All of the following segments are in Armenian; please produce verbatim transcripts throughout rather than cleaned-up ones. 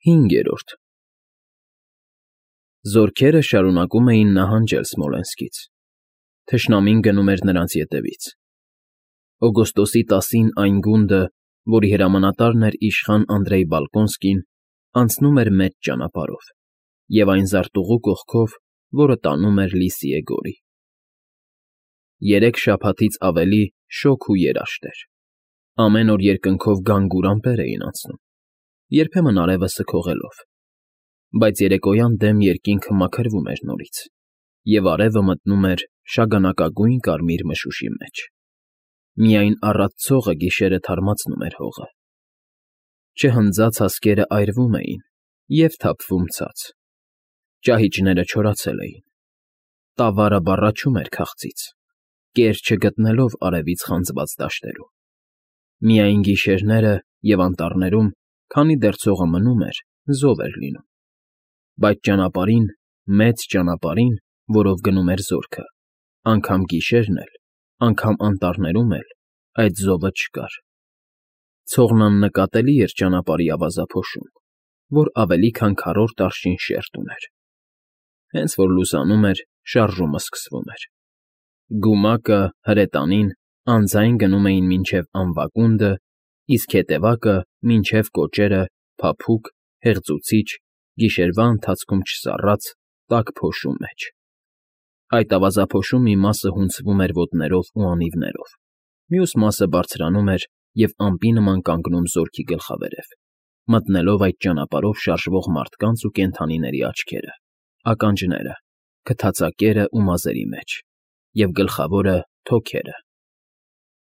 Հինգերորդ Զորքերը շարունակում էին նահանջել Սմոլենսկից, թշնամին գնում էր նրանց ետևից. օգոստոսի տասին այն գունդը, որի հրամանատարն էր իշխան Անդրեյ Բալկոնսկին, անցնում էր մեծ ճանապարհով և այն զարտուղու կողքով, որը տանում էր Լիսիե գորի։ Երեք շաբաթից ավելի շոգ ու երաշտ էր, ամեն օր երկնքով գանգուր ամպեր էին անցնում, երբեմն արևը սգողելով, բայց երեկոյան դեմ երկինքը մաքրվում էր նորից, և արևը մտնում էր շագանակագույն կարմիր մշուշի մեջ։ Միայն առատ ցողը գիշերը թարմացնում էր հողը։ Չհնձած հասկերը այրվում էին և թափվում ցած, ճահիճները չորացել էին, տավարը բառաչում էր քաղցից, կեր չգտնելով արևից խանձված դաշտերում։ Միայն գիշերները և անտառներում, քանի դեռ ցողը մնում էր, զով էր լինում, բայց ճանապարհին, մեծ ճանապարհին, որով գնում էր զորքը, անգամ գիշերն էլ, անգամ անտառներում էլ այդ զովը չկար։ Ցողն աննկատելի էր ճանապարհի ավազափոշում, որ ավելի քան քառորդ արշին շերտ ուներ։ Հենց որ լուսանում էր, շարժումը սկսվում էր։ Գումակը, հրետանին անձայն գնում էին մինչև Անվակունդը, իսկ հետևակը մինչև Կոճերը փափուկ, հեղձուցիչ, գիշերվա ընթացքում չսառած, տաք փոշու մեջ։ Այդ ավազափոշու մի մասը հունձվում էր ոտներով ու անիվներով, մյուս մասը բարձրանում էր և ամպի նման կանգնում զորքի գլխավերև, մտնելով այդ ճանապարհով շարժվող մարդկանց ու կենդանիների աչքերը, ականջները, քթածակերը ու մազերի մեջ, և գլխավորը՝ թոքերը։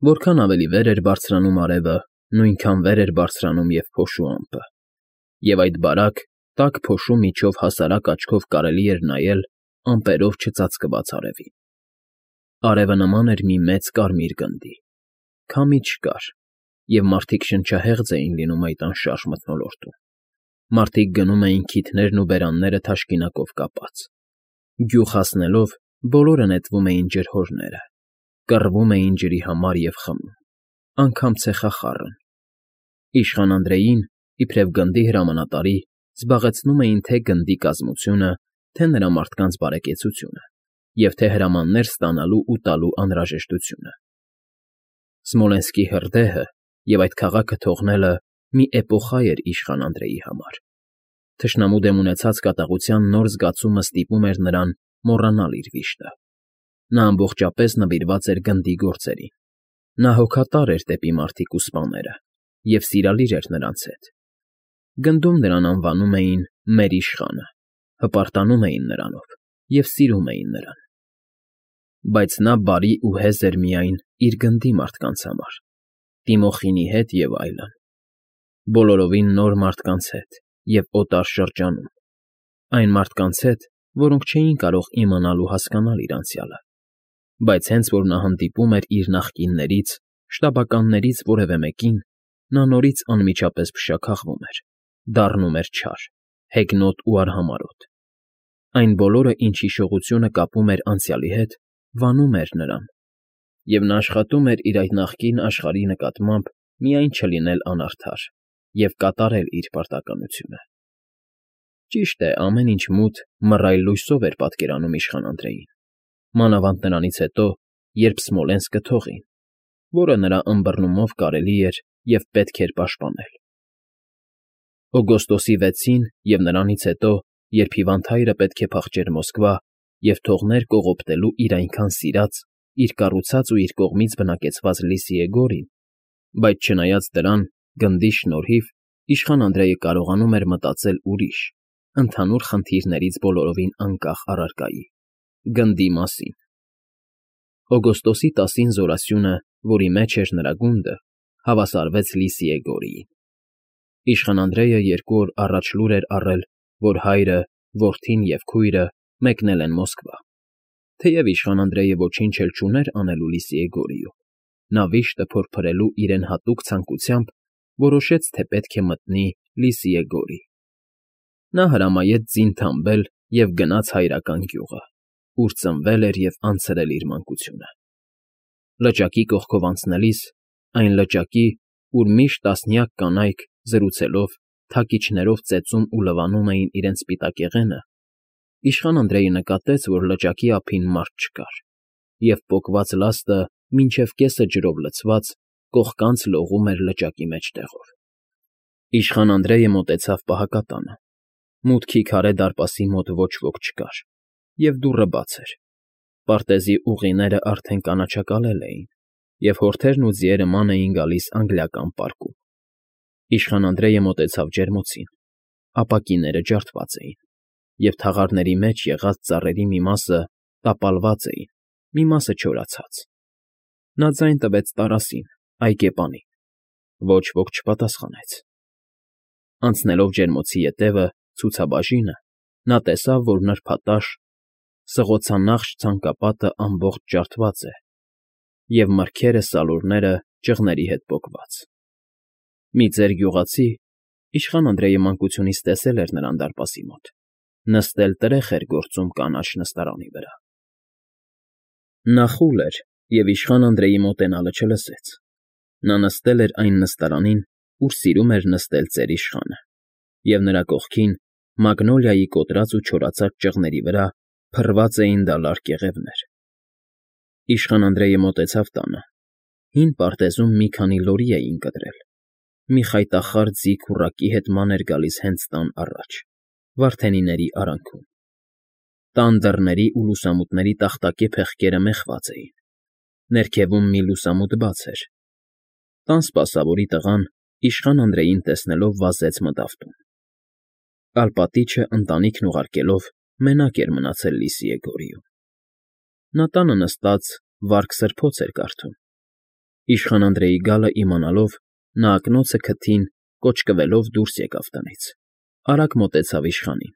Որքան ավելի վեր էր բարձրանում արևը, նույնքան վեր էր բարձրանում և փոշու ամպը, և այդ բարակ, տաք փոշու միջով հասարակ աչքով կարելի էր նայել ամպերով չծածկված արևին։ Արևը նման էր մի մեծ կարմիր գնդի, քամի չկար, և մարդիկ շնչահեղձ էին լինում այդ անշարժ մթնոլորտում։ Մարդիկ գնում էին քիթներն ու բերանները թաշկինակով կապած։ Գյուղ հասնելով՝ բոլորը նետվում էին ջրհորները, կռվում էին ջրի համար և խմում, անգամ ցեխախառն։ Իշխան Անդրեյին, իբրև գնդի հրամանատարի, զբաղեցնում էին թե գնդի կազմությունը, թե նրա մարդկանց բարեկեցությունը, և թե հրամաններ ստանալու ու տալու անհրաժեշտությունը։ Սմոլենսկի հրդեհը և այդ քաղաքը թողնելը մի էպոխա էր իշխան Անդրեյի համար։ Թշնամու դեմ ունեցած կատաղության նոր զգացումը ստիպում էր նրան մոռանալ իր վիշտը։ Նա ամբողջապես նվիրված էր գնդի գործերին։ Նա հոգատար էր դեպի մարդիկ ու սպաները և սիրալիր էր նրանց հետ։ Գնդում նրան անվանում էին «մեր իշխանը», հպարտանում էին նրանով և սիրում էին նրան։ Բայց նա բարի ու հեզ էր միայն իր գնդի մարդկանց համար, Տիմոխինի հետ և այլն, բոլորովին նոր մարդկանց հետ և օտար շրջանում, այն մարդկանց հետ, որոնք չէին կարող իմանալ ու հասկանալ իր անցյալը, բայց հենց որ նա հանդիպում էր իր նախկիններից, շտաբականներից որևէ մեկին, նա նորից անմիջապես փշաքաղվում էր, դառնում էր չար, հեգնոտ ու արհամարհոտ։ Այն բոլորը, ինչ հիշողությունը կապում էր անցյալի հետ, վանում էր նրան, և նա աշխատում էր իր այդ նախկին աշխարհի նկատմամբ միայն չլինել անարդար և կատարել իր պարտականությունը։ Ճիշտ է, ամեն ինչ մութ, մռայլ լույսով էր պատկերանում իշխան Անդրեյին, մանավանդ նրանից հետո, երբ Սմոլենսկը թողին, որը նրա ըմբռնումով կարելի էր և պետք էր պաշտպանել։ Օգոստոսի վեցին և նրանից հետո, երբ հիվանդ հայրը պետք է փախչեր Մոսկվա և թողներ կողոպտելու իր այնքան սիրած, իր կառուցած ու իր կողմից բնակեցված Լիսիե գորին, բայց չնայած դրան, գնդի շնորհիվ, իշխան Անդրեյը կարողանում էր մտածել ուրիշ, ընդհանուր խնդիրներից բոլորովին անկախ առարկայի՝ գնդի մասին։ Օգոստոսի տասին զորասյունը, որի մեջ էր նրա գունդը, հավասարվեց Լիսիե գորիին։ Իշխան Անդրեյը երկու օր առաջ լուր էր առել, որ հայրը, որդին և քույրը մեկնել են Մոսկվա։ Թեև իշխան Անդրեյը ոչինչ էլ չուներ անելու Լիսիե գորիում, նա վիշտը փորփրելու իրեն հատուկ ցանկությամբ որոշեց, թե պետք է մտնի Լիսիե գորի։ Նա հրամայեց ձին թամբել և գնաց հայրական գյուղը, ուր ծնվել էր և անցրել իր մանկությունը։ Լճակի կողքով անցնելիս, այն լճակի, ուր միշտ տասնյակ կանայք, զրուցելով, թակիչներով ծեծում ու լվանում էին իրենց սպիտակեղենը, իշխան Անդրեյը նկատեց, որ լճակի ափին մարդ չկար, և պոկված լաստը մինչև կեսը ջրով լցված կողկանց լողում էր լճակի մեջտեղով։ Իշխան Անդրեյը մոտեցավ պահակատանը։ Մուտքի քարե դարպասի մոտ ոչ ոք չկար, և դուռը բաց էր։ Պարտեզի ուղիները արդեն կանաչակալել էին, և հորթերն ու ձիերը ման էին գալիս անգլիական պարկում։ Իշխան Անդրեյը մոտեցավ ջերմոցին։ Ապակիները ջարդված էին, և թաղարների մեջ եղած ծառերի մի մասը տապալված էին, մի մասը չորացած։ Նա ձայն տվեց տարասին, այկեպանին։ Ոչ ոք չպատասխանեց։ Անցնելով ջերմոցի ետևը, ցուցաբաժինը, նա տեսավ, որ նրբատաշ, սղոցանախշ ցանկապատը ամբողջ ջարդված է, և մրգերը սալորները ճղների հետ պոկված։ Մի ծեր գյուղացի (իշխան Անդրեյը մանկությունից տեսել էր նրան դարպասի մոտ) նստել տրեխ էր գործում կանաչ նստարանի վրա։ Նա խուլ էր և իշխան Անդրեյի մոտենալը չլսեց։ Նա նստել էր այն նստարանին, ուր սիրում էր նստել ծեր-իշխանը, և նրա կողքին, մագնոլիայի կոտրած ու չորացած ճղների վրա, փռված էին դալար կեղևներ։ Իշխան Անդրեյը մոտեցավ տանը։ Հին պարտեզում մի քանի լորի էին կտրել։ Մի խայտախառ ձի քուռակի հետ ման էր գալիս հենց տան առաջ, վարդենիների արանքում։ Տան դռների ու լուսամուտների տախտակե փեղկերը մեխված էին։ Ներքևում մի լուսամուտ բաց էր։ Տան սպասավորի տղան, իշխան Անդրեյին տեսնելով, վազեց մտավ տուն։ Ալպատիչը, ընտանիքն ուղարկելով, մենակ էր մնացել լիսիե գորիում։ Նա տանը նստած վարք֊սրբոց էր կարդում։ Իշխան Անդրեյի գալը իմանալով, նա ակնոցը քթին կոճկվելով դուրս եկավ տնից, արագ մոտեցավ իշխանին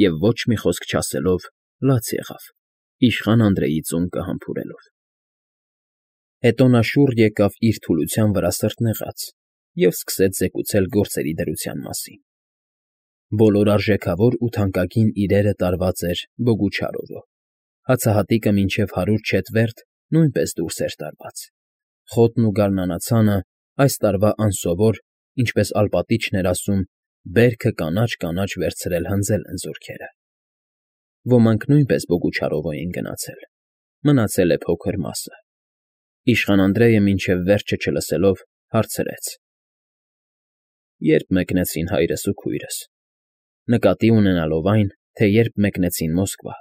և ոչ մի խոսք չասելով լաց եղավ, իշխան Անդրեյի ծունկը համբուրելով։ Հետո նա շուռ եկավ իր թուլության վրա սրտնեղած և սկսեց զեկուցել գործերի դրության մասին։ Բոլոր արժեքավոր ու թանկագին իրերը տարված էր Բոգուչարովը, հացահատիկը մինչև հարյուր չետվերտ նույնպես դուրս էր տարված, խոտն ու գարնանացանը այս տարվա անսովոր, ինչպես ալպատիչն էր ասում, բերքը կանաչ֊կանաչ վերցրել հնձել են զորքերը։ Ոմանք նույնպես Բոգուչարովո էին գնացել, մնացել է փոքր մասը։ Իշխան Անդրեյը մինչև վերջը չլսելով, հարցրեց. Ե՞րբ մեկնեցին հայրս ու քույրս, նկատի ունենալով այն, թե երբ մեկնեցին Մոսկվա։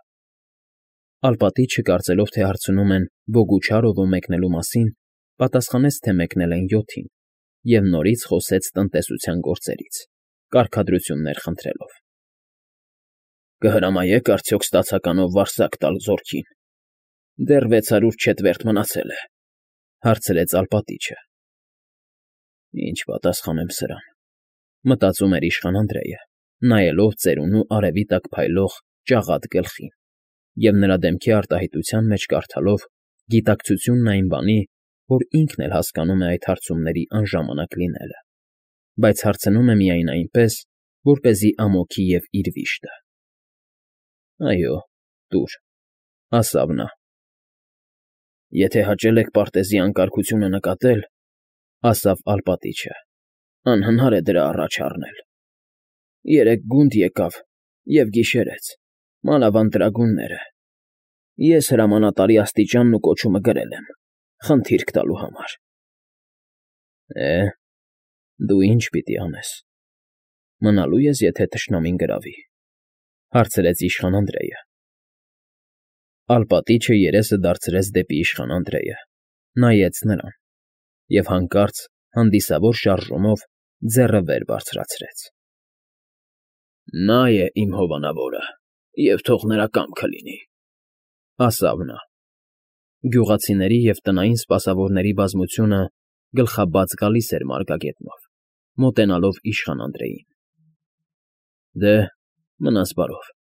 Ալպատիչը, կարծելով, թե հարցնում են Բոգուչարովո մեկնելու մասին, պատասխանեց, թե մեկնել են յոթին, և նորից խոսեց տնտեսության գործերից, կարգադրություններ խնդրելով։ Կհրամայե՞ք արդյոք ստացականով վարձակ տալ զորքին։ Դեռ վեց հարյուր չետվերտ մնացել է, հարցրեց ալպատիչը։ Ինչ պատասխանեմ սրան, մտածում էր իշխան Անդրեյը, նայելով ծերունու արևի տակ փայլող ճաղատ գլխին և նրա դեմքի արտահայտության մեջ կարդալով գիտակցությունն այն բանի, որ ինքն էլ հասկանում է այդ հարցումների անժամանակ լինելը, բայց հարցնում է միայն այնպես, որպեսզի ամոթի և իր վիշտը։ Այո, տուր, ասավ նա։ Եթե հաճել եք պարտեզի անկարգությունը նկատել, ասավ ալպատիչը, անհնար է դրա առաջ առնել։ Երեկ գունդ եկավ և գիշերեց, մանավանդ ծերունիները։ Ես հրամանատարի աստիճանն ու կոչումը գրել եմ, խնդիրք տալու համար։ Է, դու ի՞նչ պիտի անես։ Մնալո՞ւ ես, եթե թշնամին գրավի, հարցրեց իշխան Անդրեյը։ Ալպատիչը երեսը դարձրեց դեպի իշխան Անդրեյը, նայեց նրան և հանկարծ հանդիսավոր շարժումով ձեռը վեր բարձրացրեց։ Նա է իմ հովանավորը, և թող նրա կամքը լինի, ասավ նա։ Գյուղացիների և տնային սպասավորների բազմությունը գլխաբաց գալիս էր մարգագետնով, մոտենալով իշխան Անդրեյին։ Դե, մնաս բարով,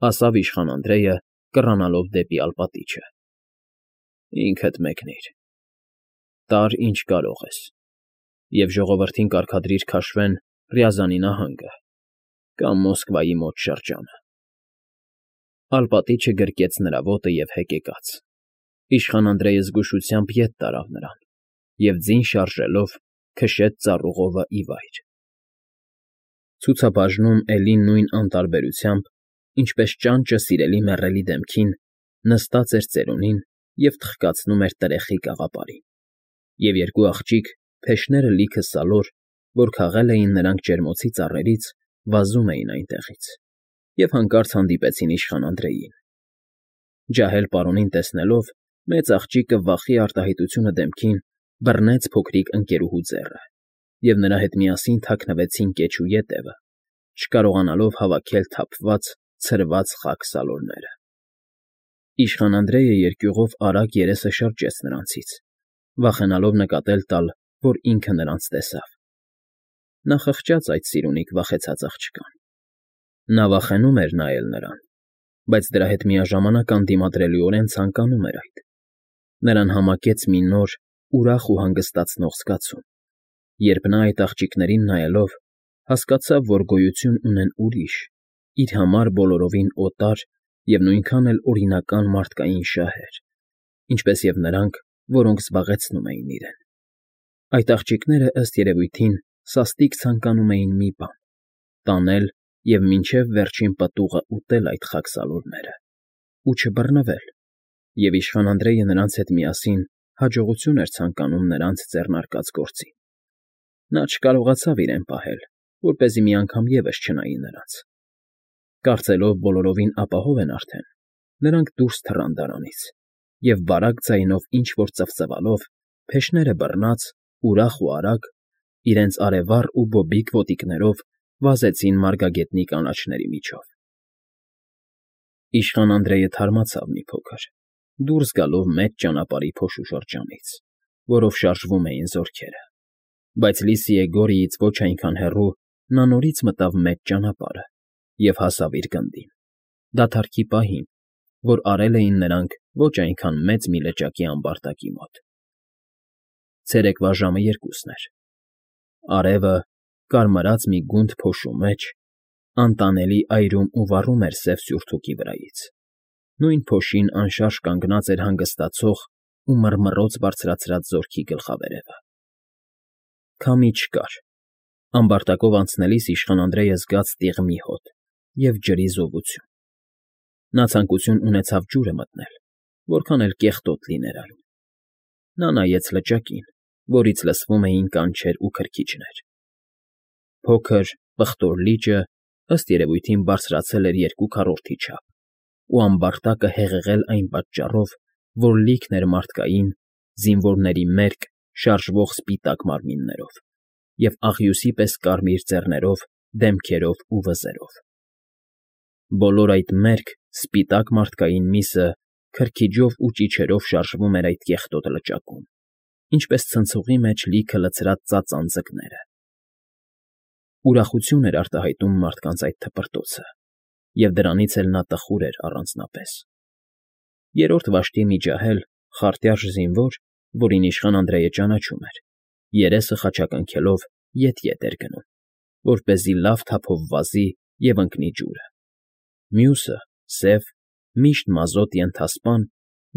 ասավ իշխան Անդրեյը, կռանալով դեպի ալպատիչը։ Ինքդ մեկնիր, տար, ինչ կարող ես, և ժողովրդին կարգադրիր քաշվեն Ռյազանի նահանգը կամ Մոսկվայի մոտ շրջանը։ Ալպատիչը գրկեց նրա ոտը և հեկեկաց։ Իշխան Անդրեյը զգուշությամբ ետ տարավ նրան և, ձին շարժելով, քշեց ծառուղովը ի վայր։ Ցուցաբաժնում էլի նույն անտարբերությամբ, ինչպես ճանճը սիրելի մեռելի դեմքին, նստած էր ծերունին և թխկացնում էր տրեխի կաղապարին, և երկու աղջիկ, փեշները լիքը սալոր, որ քաղել էին նրանք ջերմոցի ծառերից, վազում էին այնտեղից և հանկարծ հանդիպեցին իշխան Անդրեյին. ջահել պարոնին տեսնելով, մեծ աղջիկը վախի արտահայտությունը դեմքին բռնեց փոքրիկ ընկերուհու ձեռը և նրա հետ միասին թաքնվեցին կեչու ետևը, չկարողանալով հավաքել թափված, ցրված խաք սալորները։ Իշխան Անդրեյը երկյուղով արագ երեսը շրջեց նրանցից, վախենալով նկատել տալ, որ ինքը նրանց տեսավ։ Նա խղճաց այդ սիրունիկ վախեցած աղջկան։ Նա վախենում էր նայել նրան, բայց դրա հետ միաժամանակ անդիմադրելիորեն ցանկանում էր այդ։ Նրան համակեց մի նոր, ուրախ ու հանգստացնող զգացում, երբ նա այդ աղջիկներին նայելով, հասկացավ, որ գոյություն ունեն ուրիշ, իր համար բոլորովին օտար և նույնքան էլ օրինական մարդկային շահեր, ինչպես և նրանք, որոնք զբաղեցնում էին իրեն։ Այդ աղջիկները, ըստ երևույթին, սաստիկ ցանկանում էին մի բան՝ տանել և մինչև վերջին պտուղը ուտել այդ խաք սալորները ու չբռնվել, և իշխան Անդրեյը նրանց հետ միասին հաջողություն էր ցանկանում նրանց ձեռնարկած գործին։ Նա չկարողացավ իրեն պահել, որպեսզի մի անգամ ևս չնայի նրանց։ Կարծելով բոլորովին ապահով են արդեն, նրանք դուրս թռան դարանից և բարակ ձայնով ինչ֊որ ծվծվալով, փեշները բռնած, ուրախ ու արագ, իրենց արևառ ու բոբիկ ոտիկներով վազեցին մարգագետնի կանաչների միջով։ Իշխան Անդրեյը թարմացավ մի փոքր, դուրս գալով մեծ ճանապարհի փոշու շրջանից, որով շարժվում էին զորքերը, բայց լիսի է֊Գորիից ոչ այնքան հեռու նա նորից մտավ մեծ ճանապարհը և հասավ իր գնդին, դադարքի պահին, որ արել էին նրանք ոչ այնքան մեծ մի լճակի ամբարտակի մոտ։ Ցերեկվա ժամը երկուսն էր։ Արևը, կարմրած մի գունդ փոշու մեջ, անտանելի այրում ու վառում էր սև սյուրթուքի վրայից, նույն փոշին անշարժ կանգնած էր հանգստացող ու մռմռոց բարձրացրած զորքի գլխավերևը։ Քամի չկար։ Ամբարտակով անցնելիս իշխան Անդրեյը զգաց տիղմի հոտ և ջրի զովություն։ Նա ցանկություն ունեցավ ջուրը մտնել, որքան էլ կեղտոտ լիներ այն։ Նա նայեց լճակին, որից լսվում էին կանչեր ու քրքիջներ։ Փոքր, պղտոր լիճը, ըստ երևույթին, բարձրացել էր երկու քառորդի չափ, ու ամբարտակը հեղեղել այն պատճառով, որ լիքն էր մարդկային, զինվորների մերկ, շարժվող սպիտակ մարմիններով և աղյուսի պես կարմիր ծեռերով, դեմքերով ու վզերով։ Բոլոր այդ մերկ, սպիտակ մարդկային միսը քրքիջով ու ճիչերով շարժվում էր այդ կեղտոտ լճակում, ինչպես ցնցողի մեջ լիքը լցրած ծածան ձկները։ Ուրախություն էր արտահայտում մարդկանց այդ թպրտոցը, և դրանից էլ նա տխուր էր առանձնապես։ Երրորդ վաշտի մի ջահել, խարտյարժ զինվոր, որին իշխան Անդրեյը ճանաչում էր, երեսը խաչակնքելով ետ֊ետ էր գնում, որպեսզի լավ թափով վազի և ընկնի ջուրը։ Մյուսը՝ սև, միշտ մազոտ ենթասպան,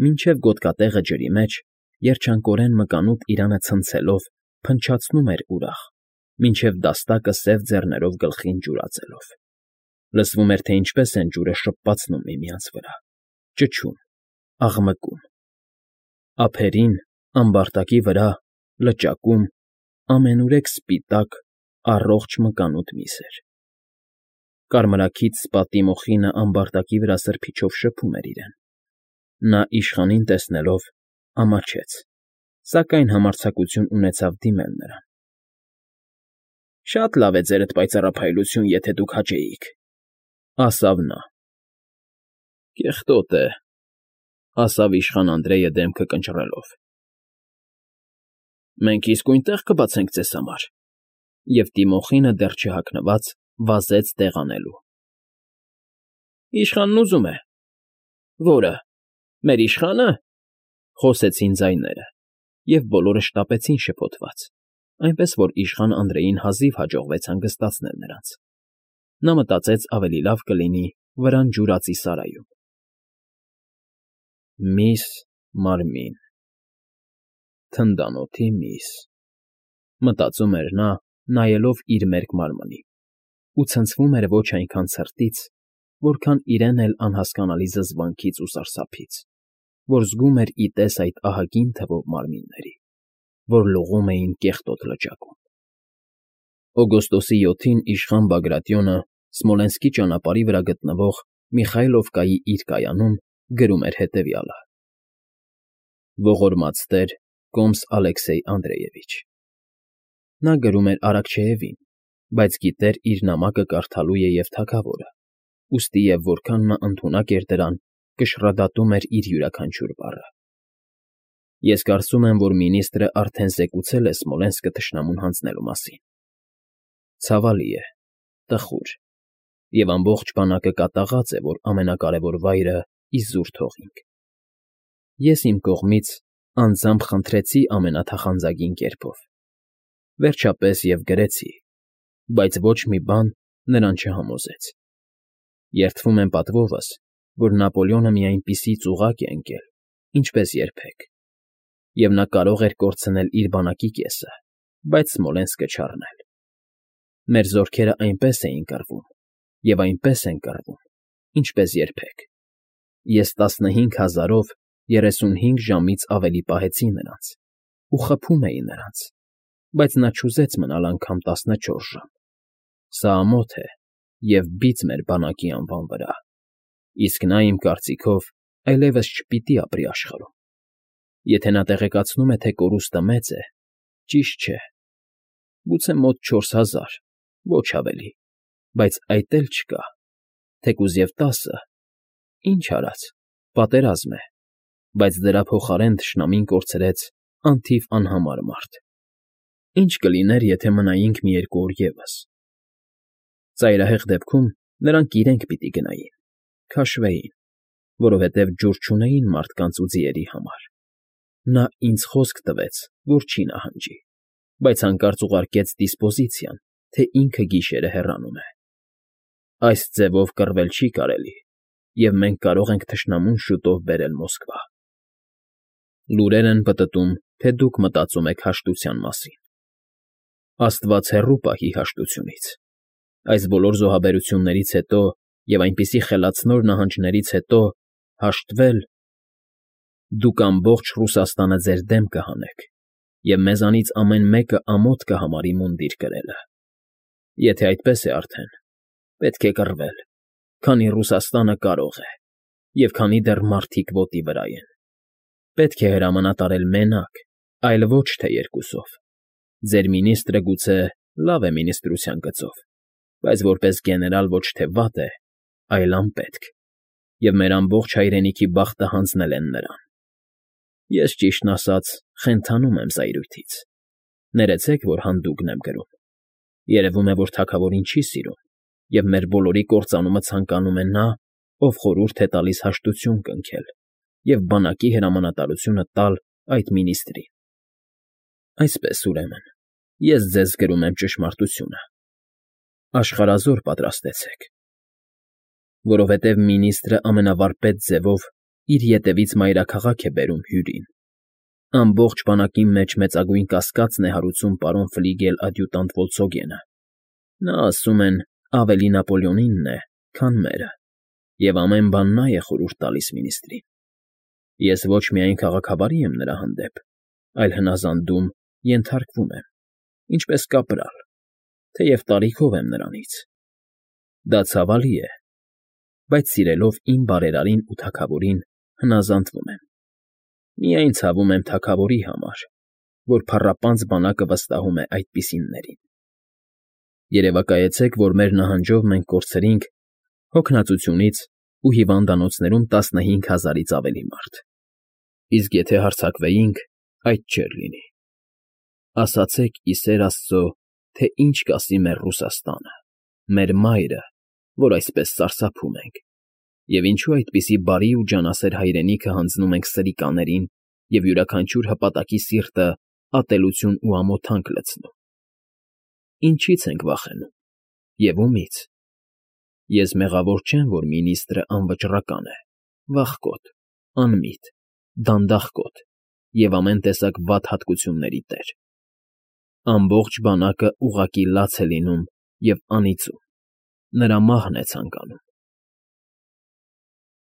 մինչև գոտկատեղը ջրի մեջ, երջանկորեն մկանուտ իրանը ցնցելով, փնչացնում էր ուրախ, մինչև դաստակը սև ձեռներով գլխին ջուրածելով։ Լսվում էր, թե ինչպես են ջուրը շպպացնում միմյանց վրա, ճչում, աղմկում։ Ափերին, ամբարտակի վրա, լճակում ամենուրեք սպիտակ, առողջ մկանուտ միս էր։ Կարմրաքիթ սպատի մոխինը ամբարտակի վրա սրբիչով շփում էր իրեն։ Նա իշխանին տեսնելով ամաչեց, սակայն համարձակություն ունեցավ դիմել նրան։ ֊ Շատ լավ է ձերդ պայծառափայլություն, եթե դուք հաճեիք,֊ ասավ նա։ ֊ Կեղտոտ է,֊ ասավ իշխան Անդրեյը դեմքը կնճռելով։ ֊ Մենք իսկույն տեղ կբացենք ձեզ համար, և Տիմոխինը դեռ չհագնված վազեց տեղ անելու։ ֊ Իշխանն ուզում է։ ֊ Ո՞րը, մեր իշխա՞նը,֊ խոսեցին ձայները, և բոլորը շտապեցին շփոթված, այնպես որ իշխան Անդրեյին հազիվ հաջողվեց հանգստացնել նրանց։ Նա մտածեց ավելի լավ կլինի վրան ջուրածի սարայում։ Միս Մարմին, թնդանոթի միս, մտածում էր նա, նայելով իր մերկ մարմնին, ու ցնցվում էր ոչ այնքան ցրտից, որքան իրեն էլ անհասկանալի զզվանքից ու սարսափից, որ զգում էր ի տես այդ ահագին թվով մարմինների, որ լողում էին կեղտոտ լճակում։ Օգոստոսի յոթին իշխան Բագրատիոնը Սմոլենսկի ճանապարհի վրա գտնվող Միխայլովկայի իր կայանում գրում էր հետևյալը. Ողորմած տեր կոմս Ալեքսեյ Անդրեևիչ։ Նա գրում էր Արաքչեևին, բայց գիտեր իր նամակը կարդալու է և թագավորը, ուստի և որքան նա ընդունակ էր դրան, կշռադատում էր իր յուրաքանչյուր բառը։ Ես կարծում եմ, որ մինիստրը արդեն զեկուցել է Սմոլենսկը թշնամուն հանձնելու մասին։ Ցավալի է, տխուր, և ամբողջ բանակը կատաղած է, որ ամենակարևոր վայրը իզուր թողինք։ Ես իմ կողմից անձամբ խնդրեցի ամենաթախանձագին կերպով, վերջապես և գրեցի, բայց ոչ մի բան նրան չհամոզեց։ Երդվում եմ պատվովս, որ Նապոլեոնը մի այնպիսի ծուղակ է ընկել, ինչպես երբեք, և նա կարող էր կորցնել իր բանակի կեսը, բայց Սմոլենսկը չառնել։ Մեր զորքերը այնպես էին կռվում և այնպես են կռվում, ինչպես երբեք։ Ես տասնհինգ հազարով երեսունհինգ ժամից ավելի պահեցի նրանց ու խփում էի նրանց, բայց նա չուզեց մնալ անգամ տասնչորս ժամ։ Սա ամոթ է և բիծ մեր բանակի անվան վրա, իսկ նա, իմ կարծիքով, այլևս չպիտի ապրի աշխարհում։ Եթե նա տեղեկացնում է, թե կորուստը մեծ է, ճիշտ չէ, գուցե մոտ չորս հազար, ոչ ավելի, բայց այդ էլ չկա, թեկուզ և տասը, ինչ արած, պատերազմ է, բայց դրա փոխարեն թշնամին կորցրեց անթիվ անհամար մարդ։ Ինչ կլիներ, եթե մնայինք մի երկու օր ևս։ Ծայրահեղ դեպքում նրանք իրենք պիտի գնային, քաշվեին, որովհետև ջուր չունեին մարդկանց ու ձիերի համար։ Նա ինձ խոսք տվեց, որ չի նահանջի, բայց հանկարծ ուղարկեց դիսպոզիցիան, թե ինքը գիշերը հեռանում է։ Այս ձևով կռվել չի կարելի, և մենք կարող ենք թշնամուն շուտով բերել Մոսկվա։ Լուրեր են պտտում, թե դուք մտածում եք հաշտության մասին։ Աստված հեռու պահի հաշտությունից։ Այս բոլոր զոհաբերություններից հետո և այնպիսի խելացնոր նահանջներից հետո հաշտվել… Դուք ամբողջ Ռուսաստանը ձեր դեմ կհանեք, և մեզանից ամեն մեկը ամոթ կհամարի մունդիր կրելը։ Եթե այդպես է արդեն, պետք է կռվել, քանի Ռուսաստանը կարող է, և քանի դեռ մարդիկ ոտի վրա են։ Պետք է հրամանատարել մենակ, այլ ոչ թե երկուսով։ Ձեր մինիստրը գուցե լավ է մինիստրության գծով, բայց որպես գեներալ ոչ թե վատ է, այլ անպետք, և մեր ամբողջ հայրենիքի բախտը հանձնել են նրան։ Ես, ճիշտն ասած, խենթանում եմ զայրույթից։ Ներեցեք, որ հանդուգն եմ գրում։ Երևում է, որ թագավորին չի սիրում, և մեր բոլորի կործանումը ցանկանում է նա, ով խորհուրդ է տալիս հաշտություն կնքել և բանակի հրամանատարությունը տալ այդ մինիստրին։ Այսպես, ուրեմն, ես ձեզ գրում եմ ճշմարտությունը. աշխարհազոր պատրաստեցեք, որովհետև մինիստրը ամենավարպետ ձևով իր ետևից մայրաքաղաք է բերում հյուրին։ Ամբողջ բանակի մեջ մեծագույն կասկածն է հարուցում պարոն ֆլիգել֊ադյուտանտ Վոլցոգենը։ Նա, ասում են, ավելի Նապոլեոնինն է, քան մերը, և ամեն բան նա է խորհուրդ տալիս մինիստրին։ Ես ոչ միայն քաղաքավարի եմ նրա հանդեպ, այլ հնազանդում, ենթարկվում եմ, ինչպես կապրալ, թեև տարիքով եմ նրանից։ Դա ցավալի է, բայց սիրելով իմ բարերարին ու թագավորին հնազանդվում եմ։ Միայն ցավում եմ թագավորի համար, որ փառապանծ բանակը վստահում է այդպիսիններին։ Երևակայեցեք, որ մեր նահանջով մենք կորցրինք հոգնածությունից ու հիվանդանոցներում տասնհինգ հազարից ավելի մարդ, իսկ եթե հարձակվեինք, այդ չէր լինի։ Ասացեք, ի սեր Աստծո, թե ինչ կասի մեր Ռուսաստանը, մեր մայրը, որ այսպես սարսափում ենք, և ինչու այդպիսի բարի ու ջանասեր հայրենիքը հանձնում ենք սրիկաներին և յուրաքանչյուր հպատակի սիրտը ատելություն ու ամոթանք լցնում։ Ինչի՞ց ենք վախենում և ումի՞ց։ Ես մեղավոր չեմ, որ մինիստրը անվճռական է, վախկոտ, անմիտ, դանդաղկոտ և ամեն տեսակ վատ հատկությունների տեր։ Ամբողջ բանակը ուղղակի լաց է լինում և անիծում, նրա մահն է ցանկանում։